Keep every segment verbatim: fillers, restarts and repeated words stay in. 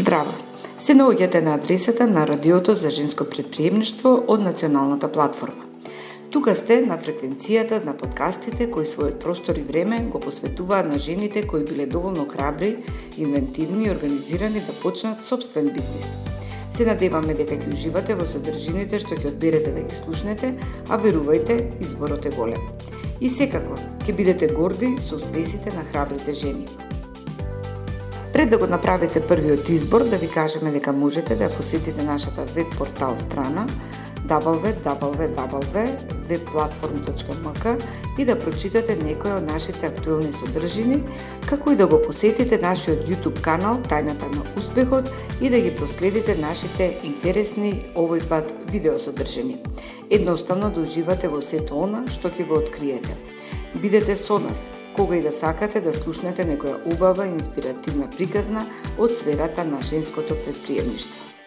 Здраво! Се наоѓате на адресата на Радиото за женско претприемништво од Националната платформа. Тука сте на фреквенцијата на подкастите кои својот простор и време го посветуваат на жените кои биле доволно храбри, инвентивни и организирани да почнат собствен бизнис. Се надеваме дека ќе уживате во содржините што ќе одберете да ги слушнете, а верувајте, изборот е голем. И секако, ќе бидете горди со успесите на храбрите жени. Пред да го направите првиот избор, да ви кажеме дека можете да посетите нашата веб портал страна дабл ю дабл ю дабл ю точка веб-платформ точка ем ка и да прочитате некои од нашите актуелни содржини, како и да го посетите нашиот YouTube канал Тајната на успехот и да ги проследите нашите интересни овој пат видеосодржини. Едноставно да уживате во сето она што ќе го откриете. Бидете со нас кога и да сакате да слушнете некоја убава и инспиративна приказна од сферата на женското претприемништво.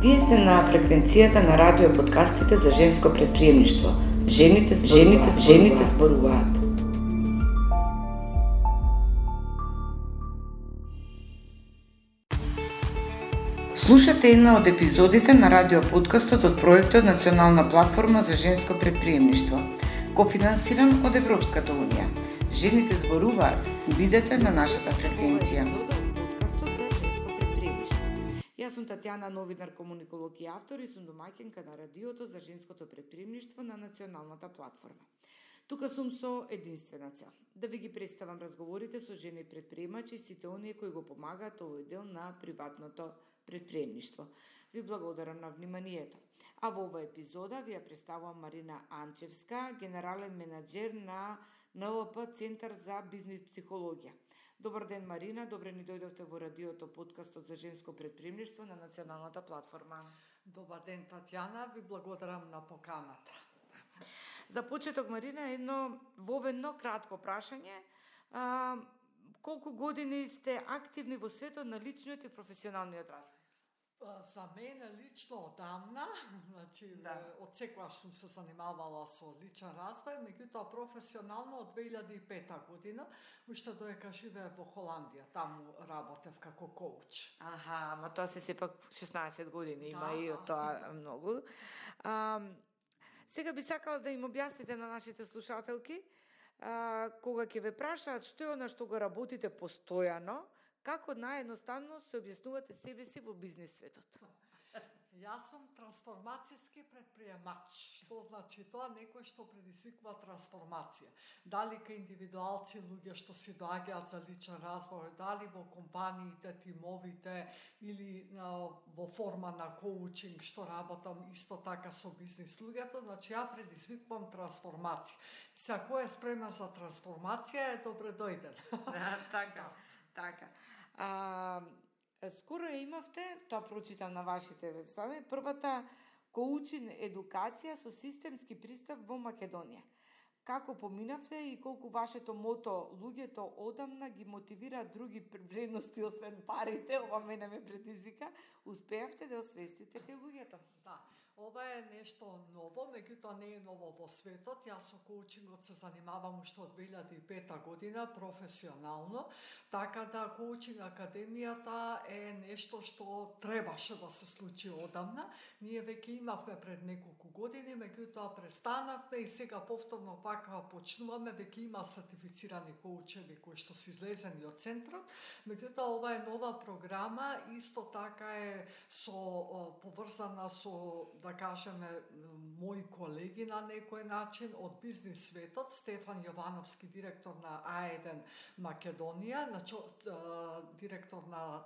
Вие сте на фреквенцијата на радио подкастите за женско претприемништво. Жените, жените, жените зборуваат. Слушате една од епизодите на радио подкастот од проектот Национална платформа за женско претприемништво, кофинансиран од Европската унија. Жените зборуваат. Бидете на нашата фреквенција. Јас сум Татјана, новинар, комуниколог и автор и сум домаќинка на радиото за женското претприемништво на Националната платформа. Тука сум со единствена цел, да ви ги представам разговорите со жени претприемачи и сите оние кои го помагаат овој дел на приватното претприемништво. Ви благодарам на вниманието. А во оваа епизода ви ја представувам Марина Анчевска, генерален менаџер на Н Л П Центар за бизнис психологија. Добар ден, Марина, добре ни дојдовте во радиото подкастот за женско претприемништво на Националната платформа. Добар ден, Татјана, ви благодарам на поканата. За почеток, Марина, едно воведно кратко прашање. А, колку години сте активни во светот на личниот и професионалниот развој? За мене лично одамна, значи да. Од секогаш сум се занимавала со личен развој, меѓутоа професионално од две илјади и пета година, уште додека живеев во Холандија, таму работев како коуч. Аха, ама тоа се сепак шеснаесет години, има да, и од тоа многу. А, сега би сакала да им објасните на нашите слушателки, а, кога ќе ве прашаат што е она што го работите постојано, како наједноставно се објаснувате себе си во бизнис светот? Јас сум трансформацијски претприемач. Што значи тоа? Некој што предизвикува трансформација. Дали кај индивидуалци, луѓе што си доаѓаат за личен развој, дали во компаниите, тимовите или на, во форма на коучинг, што работам исто така со бизнис луѓето, значи ја предизвикувам трансформација. Сега кој е спремен за трансформација е добре дојден. Да, така, така. А, скоро имавте, тоа прочитам на вашите веб-страни, првата коучинг едукација со системски пристап во Македонија. Како поминавте и колку вашето мото луѓето одамна ги мотивира други вредности освен парите, ова мене ме предизвика, успеавте да освестите кај луѓето? Да. Ова е нешто ново, меѓутоа не е ново во светот. Јас со коучингот се занимавам уште од две илјади и пета година професионално, така да коучинг академијата е нешто што требаше да се случи одамна. Ние веќе имавме пред неколку години, меѓутоа престанавме и сега повторно пак почнуваме. Веќе има сертифицирани коучеви кои што се излезени од центарот, меѓутоа ова е нова програма, исто така е со поврзана со, да кажеме, мои колеги на некој начин од бизнис светот. Стефан Јовановски, директор на А еден Македонија, на чо, директор на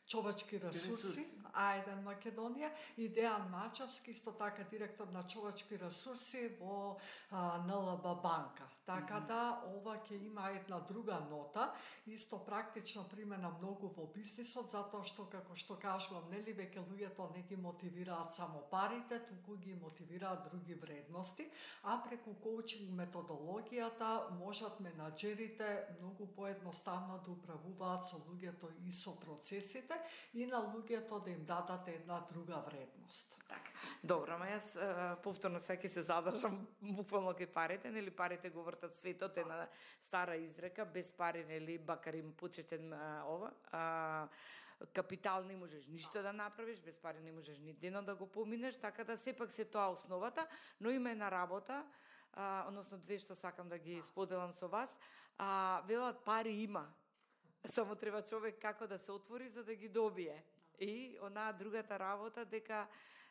човечки ресурси, А еден Македонија, и Дејан Мачевски, исто така директор на човечки ресурси во Н Л Б банка. Така mm-hmm. да, ова ќе има една друга нота, исто практично примена многу во бизнисот, затоа што, како што кажувам, нели веќе луѓето не ги мотивираат само парите, туку ги мотивираат други вредности, а преку коучинг методологијата можат менаџерите многу поедноставно да управуваат со луѓето и со процесите и на луѓето да им дадат една друга вредност. Така. Добро, ма јас повторно сега ќе се задржам буквално кај парите, нели парите го животот, светот е на стара изрека, без пари, нели, бакар им почетен а, ова, а, капитал не можеш ништо да направиш, без пари не можеш ни денот да го поминеш, така да сепак се тоа основата, но има една работа, а, односно две што сакам да ги споделам со вас, а, велат пари има, само треба човек како да се отвори за да ги добие. И онаа другата работа дека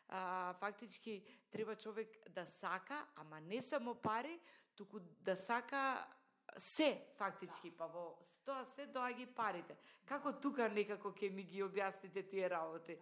а, фактички треба човек да сака, ама не само пари, туку да сака се фактички, па во тоа се доаѓа парите. Како тука некако ќе ми ги објасните тие работи?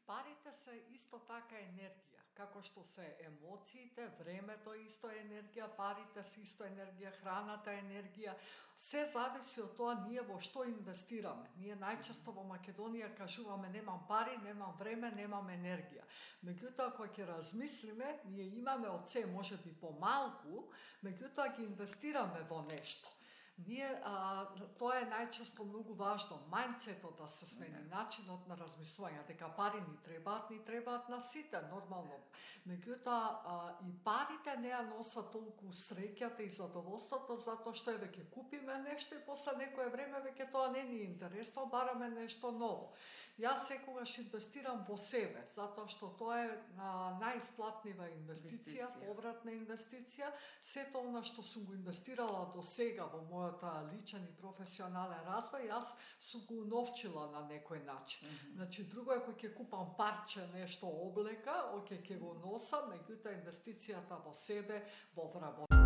Парите се исто така енергија. Како што се емоциите, времето исто е енергија, парите се исто енергија, храната е енергија. Се зависи од тоа ние во што инвестираме. Ние најчесто во Македонија кажуваме немам пари, немам време, немам енергија. Меѓутоа, кога ќе размислиме, ние имаме од се можеби помалку, меѓутоа ги инвестираме во нешто. Ние, а, тоа е најчесто многу важно, мајндсетот да се смени, начинот на размислување, дека пари ни требаат, ни требаат на сите, нормално. Меѓутоа, и парите не ја носат толку среќата и задоволството, затоа што е веќе купиме нешто и после некое време веќе тоа не ни интересно, бараме нешто ново. Јас секогаш инвестирам во себе, затоа што тоа е а, најисплатнива инвестиција, инвестиција, повратна инвестиција. Сето она што сум го инвестирала до сега во мојата личен и професионален развој, јас сум го уновчила на некој начин. Mm-hmm. Значи, друго е кој ќе купам парче нешто облека, оке ќе го носам, меѓутоа инвестицијата во себе, во вработка.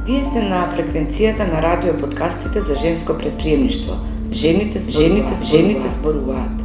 Вие сте на фреквенцијата на радио подкастите за женско предприемништво. Жените, жените, жените зборуваат.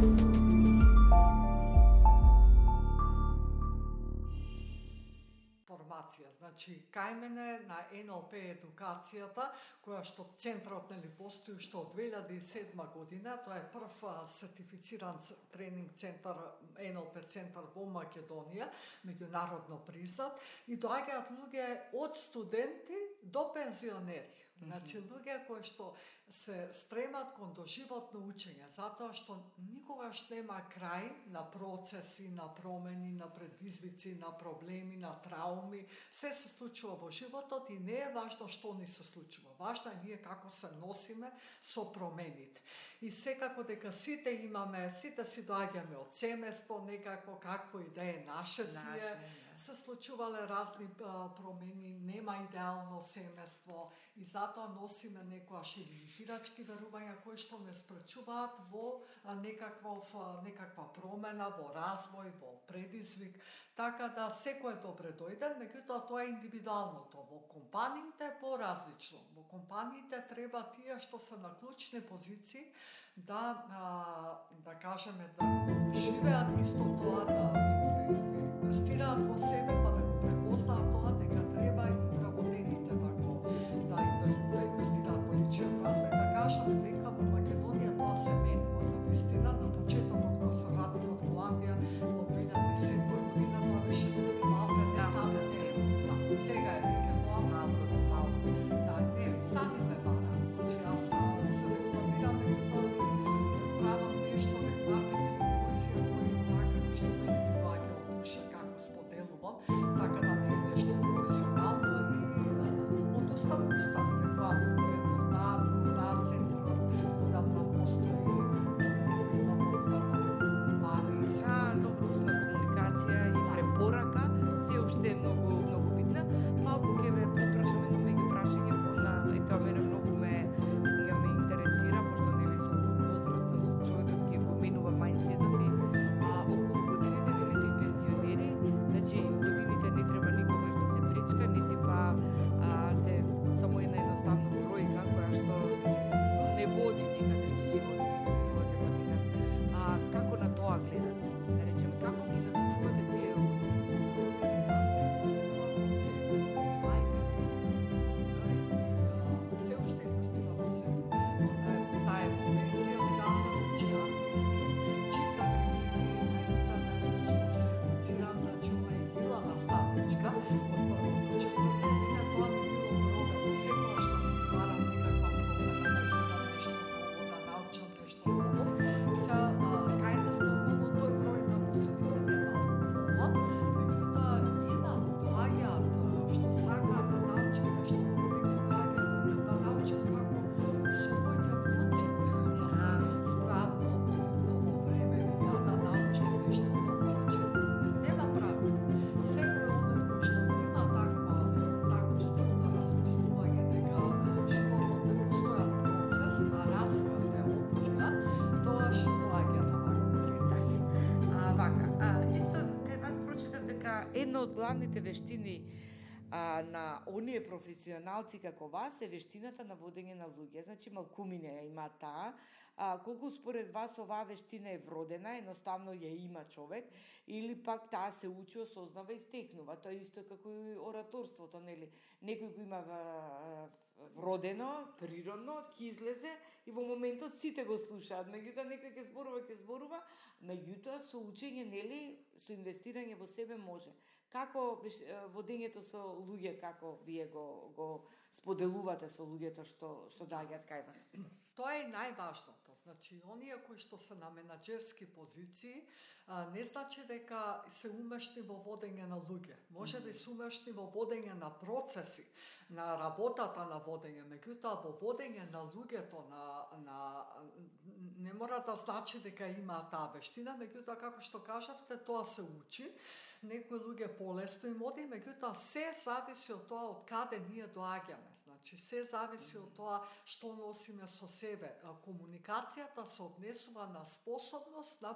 Значи, кај мене на Ен Ел Пи едукацијата, која што центарот нели постои што од две илјади и седма година, тоа е прв сертифициран тренинг центар, Ен Ел Пи центар во Македонија, меѓународно признат, и доаѓаат луѓе од студенти до пензионери. Значи, луѓе кои што се стремат кон доживотно учење, затоа што никогаш нема крај на процеси, на промени, на предизвици, на проблеми, на трауми. Се се случува во животот и не е важно што ни се случува. Важно е ние како се носиме со промените. И секако дека сите имаме, сите си доаѓаме од семејство, некако какво и да е наше си е, се случувале разни а, промени, нема идеално семејство и затоа носиме некојаш и лимитирачки верувања кои што не спречуваат во а, некаква, некаква промена, во развој, во предизвик. Така да секој е добре дојден, меѓутоа тоа е индивидуалното. Во компаниите е поразлично. Во компаниите треба тие што се на клучни позиции да, а, да кажеме, да живеат исто тоа, да инвестираат во себе, па да го препознаат тоа дека треба и вработените да го да инвестираат во личен развој. Да кажам дека во Македонија тоа се менува. Навистина, на почетокот кога се радив од Холандија во две илјади и седма година, тоа беше малку не табе. Да, сега е веќе тоа малку до малку. Да, не, сами ме бараат. Значи, јас се рекламирам и тоа правам нешто, не маркетинг, емоција, кој онака што мене ми доаѓа од душа, како споделувам, така да не е нешто професионално, од главните вештини а, на оние професионалци како вас е вештината на водење на луѓе. Значи, малкумине ја има таа. А, колку според вас оваа вештина е вродена, едноставно ја има човек, или пак таа се учи, осознава и стекнува. Тоа е исто како и ораторството, нели? Некој го има вродено, природно, ќе излезе и во моментот сите го слушаат. Меѓутоа некој ќе зборува, ќе зборува, меѓутоа со учење, нели, со инвестирање во себе може. Како водењето со луѓе, како вие го го споделувате со луѓето што што доаѓаат кај вас? Тоа е најважното. Значи, оние кои што се на менаџерски позиции, а, не значи дека се умешни во водење на луѓе. Може би се умешни во водење на процеси, на работата на водење, меѓутоа во водење на луѓето, на, на не мора да значи дека има таа вештина, меѓутоа како што кажавте, тоа се учи. Некои луѓе полесно им оди, меѓутоа се зависи од тоа од каде ние доаѓаме. Значи, се зависи од тоа што носиме со себе. Комуникацијата се однесува на способност на,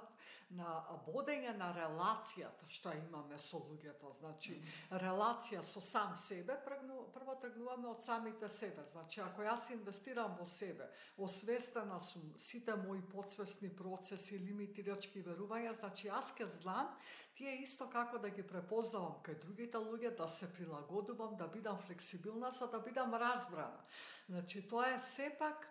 на водење на релацијата што имаме со луѓето. Значи, релација со сам себе, прво тргнуваме од самите себе. Значи, ако јас инвестирам во себе, освестена сум сите мои подсвесни процеси, лимитирачки верувања, значи јас ке знам тие исто како да ги препознавам кај другите луѓе, да се прилагодувам, да бидам флексибилна, за да бидам разбрана. Значи, тоа е сепак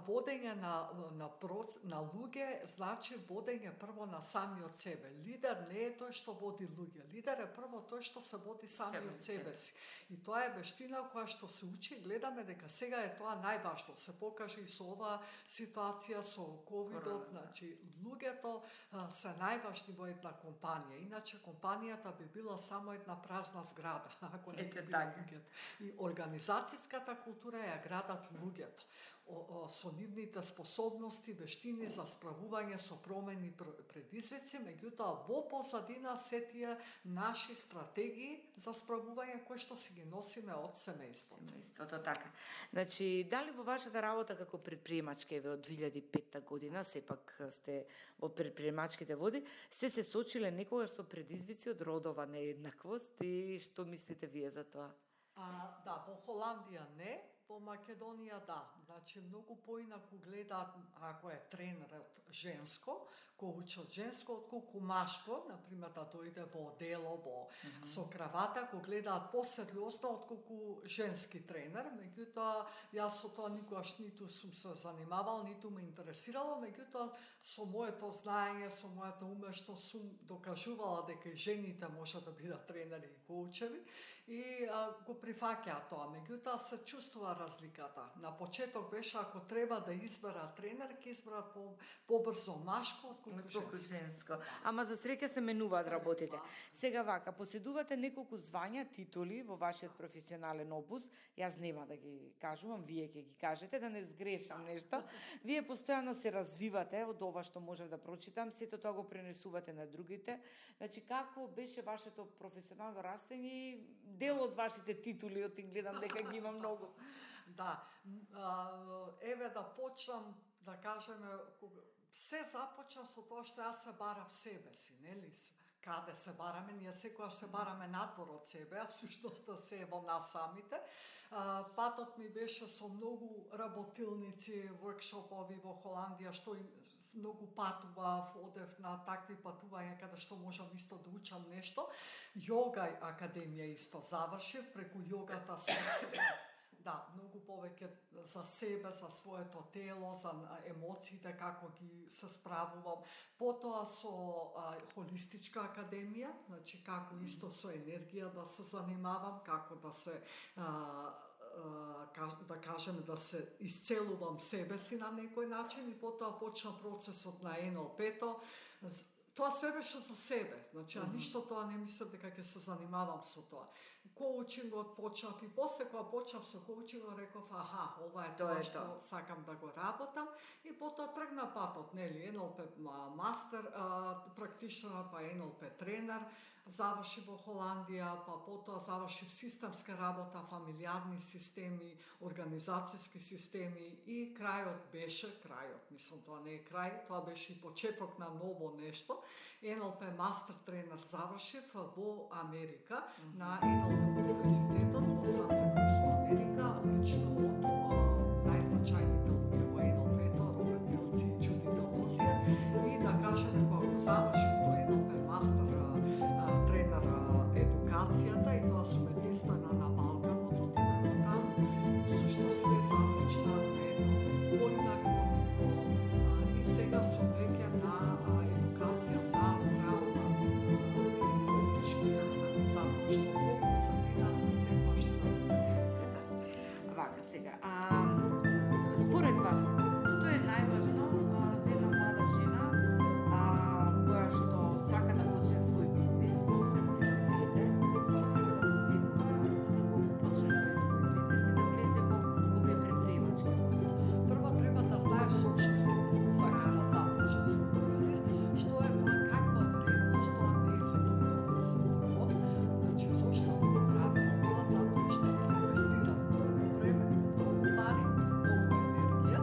водење на, на, проц, на луѓе, значи водење прво на самиот себе. Лидер не е тој што води луѓе. Лидер е прво тој што се води самиот себе си. И тоа е вештина која што се учи, гледаме дека сега е тоа најважно. Се покаже и со оваа ситуација, со ковидот, значи, луѓето а, се најважни во една компанија. Иначе компанијата би била само една празна зграда, ако не би била луѓето. И организацијската култура ја градат луѓето. О, о, со нивните способности, вештини за справување со промени предизвици, меѓутоа во позадина се тие наши стратегии за справување кои што си ги носиме од семејството. Семејството, така. Значи, дали во вашата работа како предприемачка еве од две илјади и петта година, сепак сте во предприемачките води, сте се сочиле некогаш со предизвици од родова нееднаквост и што мислите вие за тоа? А, да, во Холандија не, во Македонија да. Значи, многу поинаку гледаат ако е тренерот женско, кој учи од женско, отколку машко, например, да дојде во дело, во mm-hmm. со кравата, кој гледаат посериозно отколку женски тренер. Меѓутоа, јас со тоа никогаш ниту сум се занимавал, ниту ме интересирало, меѓутоа, со моето знаење, со мојата умешност сум докажувала дека и жените може да бидат тренери и коучеви и а, го прифаќаа тоа. Меѓутоа, се чувствува разликата. На почеток беше ако треба да изберат тренер, ќе изберат по, побрзо машко отколку женско. женско. Ама за среќа се менуваат работите. Сега вака, поседувате неколку звања, титули во вашиот професионален опус. Јас нема да ги кажувам, вие ќе ги кажете, да не сгрешам нешто. Вие постојано се развивате од ова што можев да прочитам, сето тоа го пренесувате на другите. Значи, како беше вашето професионално растење и дел од вашите титули, од гледам дека ги има многу. Да, еве да почнам да кажеме, се започна со тоа што јас се барав себе си, нели? Каде се бараме? Ние секогаш се бараме надвор од себе, а всушност се е во нас самите. Патот ми беше со многу работилници, воркшопови во Холандија, што им многу патував, одев на такви патувања каде што можам исто да учам нешто. Йога академија исто завршив, преку йогата се да, многу повеќе за себе, за своето тело, за емоциите, како ги се справувам. Потоа со а, холистичка академија, значи како исто со енергија да се занимавам, како да се а, да кажем да се исцелувам себе си на некој начин и потоа почна процесот на ен ел пе-то. Тоа све беше за себе, значи, а ништо тоа не мислев дека ќе се занимавам со тоа. Коучингот почнав и после кога почнав со коучингот реков, аха, ова е тоа што сакам да го работам и потоа тргна патот, нели, ен ел пе мастер, практичнер, па ен ел пе тренер, заврши во Холандија, па потоа заврши в системска работа, фамилиарни системи, организацијски системи и крајот беше, крајот, мислам тоа не е крај, тоа беше и почеток на ново нешто. ен ел пи мастер тренер завршив во Америка, mm-hmm. на ен ел пи универзитетот во Санта Крус во Америка, лично од најзначајните луѓе во ен ел пи-то, Роберт Билци и Джуди Делозија, и да кажеме кога го завршив тој ен ел пи мастер тренер едукацијата, и тоа сум единствена на Балканот, отидам до таму, всушност све започна на едно поинако ниво, и сега сум веќе на едукација за травма коучинг, затоа што колку за мене се секогаш травма. Вака сега, а, според вас, што е најважно а, за една млада жена а, која што сака да почне свој бизнис, освен финансиите, што треба да поседува за да го почне тој свој бизнис и да влезе во овие предприемачки? Прво треба да знаеш зошто сака да започне свој бизнис, што е тоа, каква вредност тоа не е за тоа. Значи, зошто го правила тоа? Затоа што ќе инвестира многу време, многу пари, многу енергија,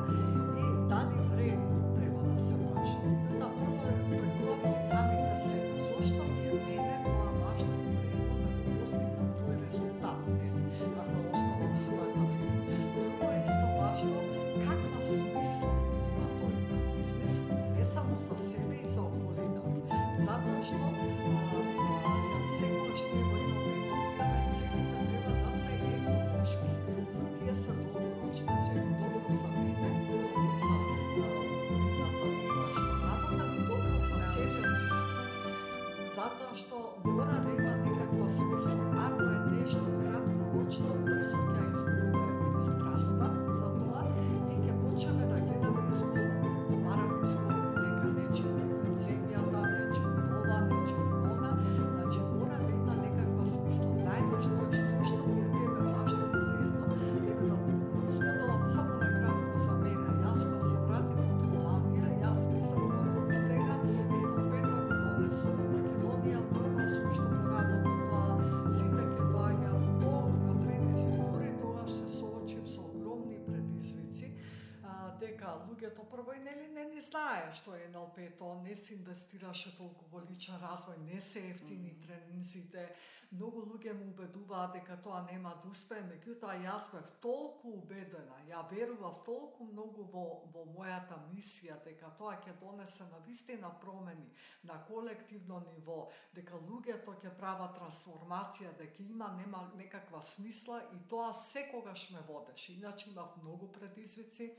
и дали вреди, треба да се праша. Да прво тргуваме од самите себе. Зошто ми е мене тоа важно и вредно да го постигнам тој резултат, нели, ако основам својата фирма. Друго е исто важно каква смисла има тој бизнес, не само за себе и за околината. Затоа што секогаш ние во едно време викаме целите треба да се еколошки. За тие се долгорочни цели, добро за мене, добро за околината која што работам и добро за целиот систем. Затоа што мора да има некаква смисла. Ако е нешто краткорочно, брзо ќе изгубиме страста за тоа и ќе почнеме да гледаме изговорни, да бараме изговорни, нека нече земјата, нече ова, нече она. Значи мора да има некаква смисла. Најважно е што ми е тебе важно и вредно. Еве да споделам само на кратко за мене. Јас кога се вратив од Холандија, јас мислам дека сега ен ел пи-то го донесов во Македонија, прва сум што го работам тоа, сите ќе доаѓаат до на тренинзи, дури тогаш се соочив со огромни предизвици, дека луѓето прво и нели не ни знае што е ен ел пи-то, не се инвестираше толку во личен развој, не се ефтини mm-hmm. тренинзите, многу луѓе му убедуваат дека тоа нема да успее, меѓутоа јас бев толку убедена, ја верував толку многу во, во мојата мисија, дека тоа ќе донесе навистина промени на колективно ниво, дека луѓето ќе прават трансформација, дека има нема некаква смисла, и тоа секогаш ме водеше. Иначе имав многу предизвици,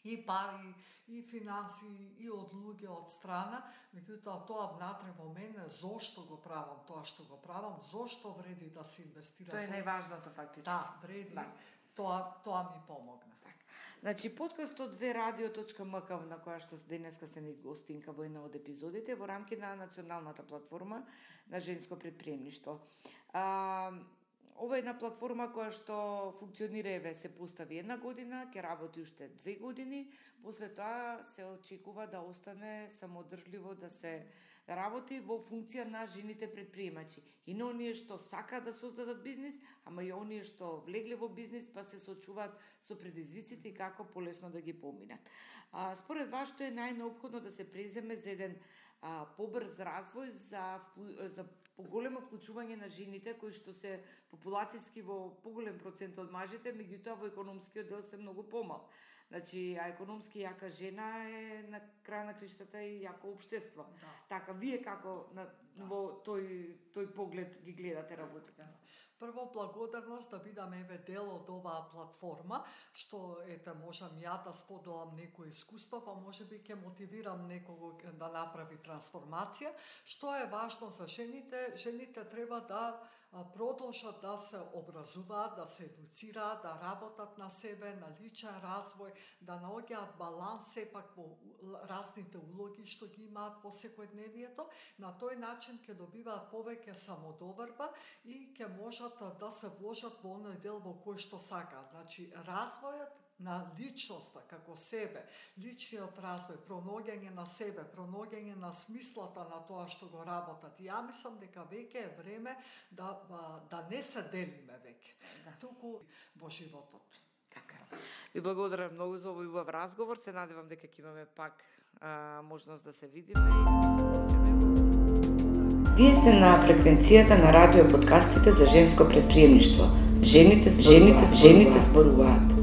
и пари, и финанси, и од луѓе од страна, меѓутоа тоа внатре во мене, зошто го правам тоа што го правам, зошто вреди да се инвестира. Тоа е најважното фактички. Да, вреди, да. Тоа, тоа ми помогна. Так. Значи, подкастот две радио точка ем ка, на која што денеска сте ни гостинка во една од епизодите, во рамки на националната платформа на женско предприемништво. А, Ова е една платформа која што функционира, еве, се постави една година, ќе работи уште две години, после тоа се очекува да остане самодржливо, да се работи во функција на жените предприемачи. И на оние што сакаат да создадат бизнис, ама и оние што влегле во бизнис, па се соочуваат со предизвиците и како полесно да ги поминат. А, според вас, што е најнеопходно да се преземе за еден а, побрз развој, за, за поголемо вклучување на жените кои што се популацијски во поголем процент од мажите, меѓутоа во економскиот дел се многу помал. Значи, а економски јака жена е на крај на криштата и јако општество. Да. Така, вие како на, да. во тој, тој поглед ги гледате работите? Да. Прво, благодарност да бидам еве дел од оваа платформа, што ете можам ја да споделам некои искуства, па можеби ќе мотивирам некого да направи трансформација. Што е важно за жените? Жените треба да продолжат да се образуваат, да се едуцираат, да работат на себе, на личен развој, да наоѓаат баланс сепак во разните улоги што ги имаат во секојдневието. На тој начин ќе добиваат повеќе самодоверба и ќе можат да се вложат во оној дел во кој што сакаат. Значи, развојот на личноста како себе, личниот развој, пронаоѓање на себе, пронаоѓање на смислата на тоа што го работат. И ја мислам дека веќе е време да да не се делиме веќе, да. Туку во животот. Така. Ви благодарам многу за овој убав разговор. Се надевам дека ќе имаме пак а, можност да се видиме и да посакувам се најубаво. Вие сте на фреквенцијата на радио подкастите за женско предприемништво. Жените, жените, жените зборуваат.